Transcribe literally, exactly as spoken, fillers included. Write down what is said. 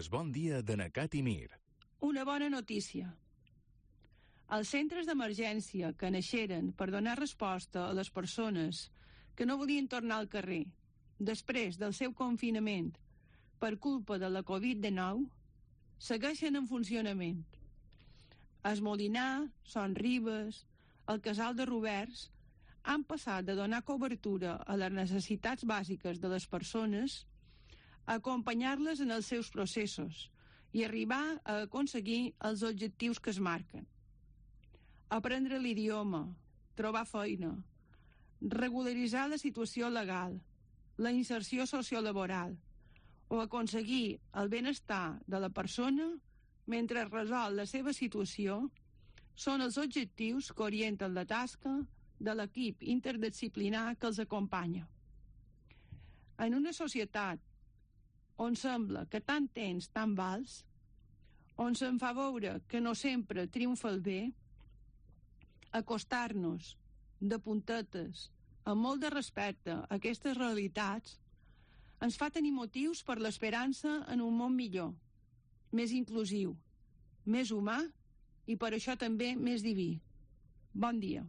Es bon dia de Nacat i Mir. Una bona notícia. Els centres d'emergència que naixeren per donar resposta a les persones que no volien tornar al carrer després del seu confinament per culpa de la covid dinou segueixen en funcionament. Es Molinar, Son Ribes, el Casal de Roberts han passat de donar cobertura a les necessitats bàsiques de les persones a acompanyar-les en els seus processos i arribar a aconseguir els objectius que es marquen. Aprendre l'idioma, trobar feina, regularitzar la situació legal, la inserció sociolaboral o aconseguir el benestar de la persona mentre resol la seva situació són els objectius que orienten la tasca de l'equip interdisciplinar que els acompanya. En una societat on sembla que tant tens, tant vals, on se'n fa veure que no sempre triomfa el bé, acostar-nos de puntetes, amb molt de respecte a aquestes realitats, ens fa tenir motius per l'esperança en un món millor, més inclusiu, més humà i per això també més diví. Bon dia.